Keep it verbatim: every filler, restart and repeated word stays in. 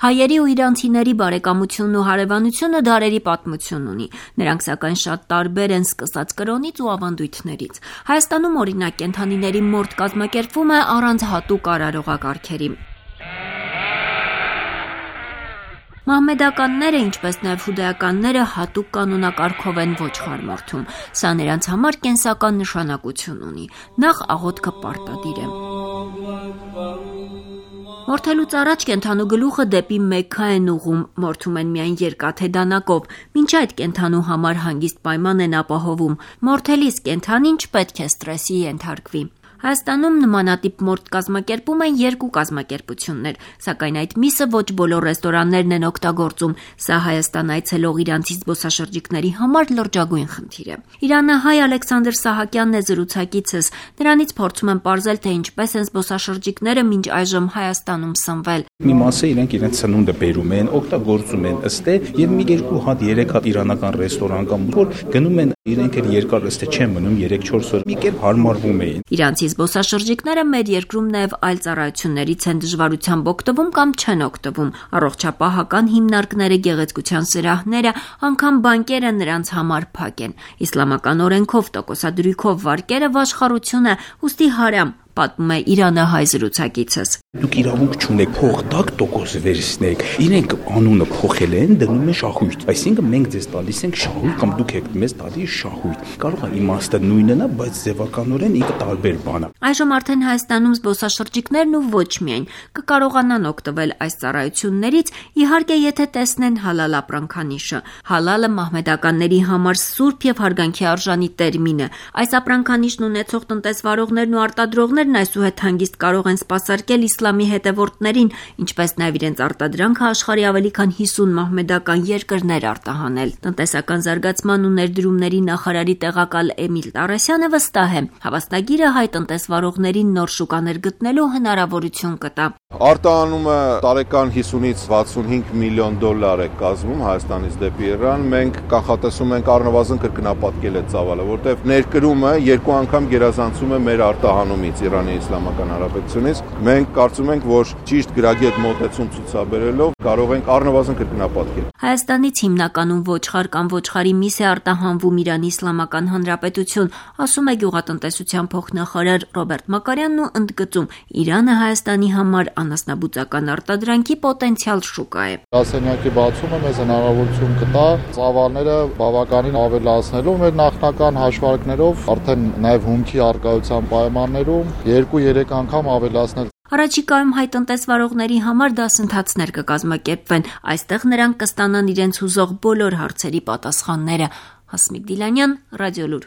Հայերի ու իրանցիների բարեկամությունն ու հարևանությունը դարերի պատմություն ունի։ Նրանք սակայն շատ տարբեր են սկսած կրոնից ու ավանդույթներից։ Հայաստանում օրինակ կենդանիների մորթ կազմակերպվում է առանց հատուկ արարողակարգերի։ Մահմեդականները, ինչպես նաև հուդայականները հատուկ կանոնակարգով են ոչխար մորթում։ Սա նրանց համար կենսական նշանակություն ունի։ Նախ աղոթքը պարտադիր է։ Մորթելուց առաջ կենդանու գլուխը դեպի Մեքքա են ուղղում, մորթում են միայն երկաթե դանակով, մինչ այդ կենդանու համար հանգիստ պայման են ապահովում։ Մորթելիս կենդանին չպետք է ստրեսի ենթարկվի։ Հայաստանում նմանատիպ մորթ կազմակերպում են երկու կազմակերպություններ, սակայն այդ միսը ոչ բոլոր ռեստորաններն են օգտագործում։ Սա Հայաստան այցելող իրանցի զբոսաշրջիկների համար լրջագույն խնդիր է։ Իրանահայ Ալեքսանդր Սահակյանն է զրուցակիցս։ Նրանից փորձում եմ պարզել, թե ինչպես են զբոսաշրջիկները մինչ այժմ Հայաստանում սնվել։ Մի մասը իրենք իրենց սնունդը բերում են, օգտագործում են ըստ է, եւ մի երկու հատ, երեք հատ իրանական ռեստորան կամ որ գնում են, իրենք էլ երկար ըստ է չեն մնում երեք-չորս օր։ Մի կերպ հարմարվում էին։ Իրանցի զբոսաշրջիկները մեր երկրում նաև այլ ծառայություններից են դժվարությամբ օգտվում կամ չեն օգտվում։ Առողջապահական հիմնարկները, գեղեցկության սրահները, անգամ բանկերը նրանց համար փակ են։ Իսլամական օրենքով տոկոսադրույքով վարկերը վաշխառություն է, ուստի հարամ, պատմում է իրանահայ զրուցակիցս։ Դուք իրավունք չունեք փող տակ տոկոս վերցնեք։ Իրենք անունը փոխել են, դնում են շահույթ։ Այսինքն մենք ձեզ տալիս ենք շահույթ կամ դուք եք մեզ տալիս շահույթ։ Կարող է իմաստը նույնն է, բայց ձևականորեն ինքը տարբեր բան է։ Այժմ արդեն Հայաստանում զբոսաշրջիկներն ու ոչ միայն կկարողանան օգտվել այս ծառայություններից, իհարկե եթե տեսնեն հալալ ապրանքանիշը։ Հալալը մահմեդականների համար սուրբ եւ հարգանքի արժանի տերմին է։ Այս ապրանքանիշն ունեցող տնտեսվարողներն ու արտադրողներն այսուհետ հանգիստ կարող են սպասարկել իսլամի հետևորդներին, ինչպես նաև իրենց արտադրանքը աշխարհի ավելի քան հիսուն մահմեդական երկրներ արտահանել։ Տնտեսական զարգացման ու ներդրումների նախարարի տեղակալ Էմիլ Տարասյանը վստահ է, հավաստագիրը հայ տնտեսվարողներին նոր շուկաներ գտնելու հնարավորություն կտա։ Արտահանումը տարեկան հիսունից վաթսունհինգ միլիոն դոլար է կազմում Հայաստանից դեպի Իրան։ Մենք կանխատեսում ենք առնվազն կրկնապատկել այդ ծավալը, որտեղ ներկրումը երկու անգամ գերազանցում է մեր արտահանումից Իրանի Իսլամական Հանրապետությունից։ Մենք կարծում ենք, որ ճիշտ գրագետ մոտեցում ցուցաբերելով կարող ենք առնվազն կրկնապատկել։ Հայաստանից հիմնականում ոչխար կամ ոչխարի միս է արտահանվում Իրանի Իսլամական Հանրապետություն, ասում է գյուղատնտեսության փոխնախարար Ռոբերտ Մակարյանն ու ընդգծում, Իրանը Հայաստանի համար անասնաբուծական արտադրանքի պոտենցիալ շուկա է։ Գրասենյակի բացումը մեզ հնարավորություն կտա ծավալները բավականին ավելացնելու մեր նախնական հաշվարկներով, արդեն նաև հումքի արկայության պայմաններում երկու-երեք անգամ ավելացնել։ Առաջիկայում հայ տնտեսվարողների համար դասընթացներ կկազմակերպվեն։ Այստեղ նրանք կստանան իրենց հուզող բոլոր հարցերի պատասխանները։ Հասմիկ Դիլանյան, Ռադիոլուր։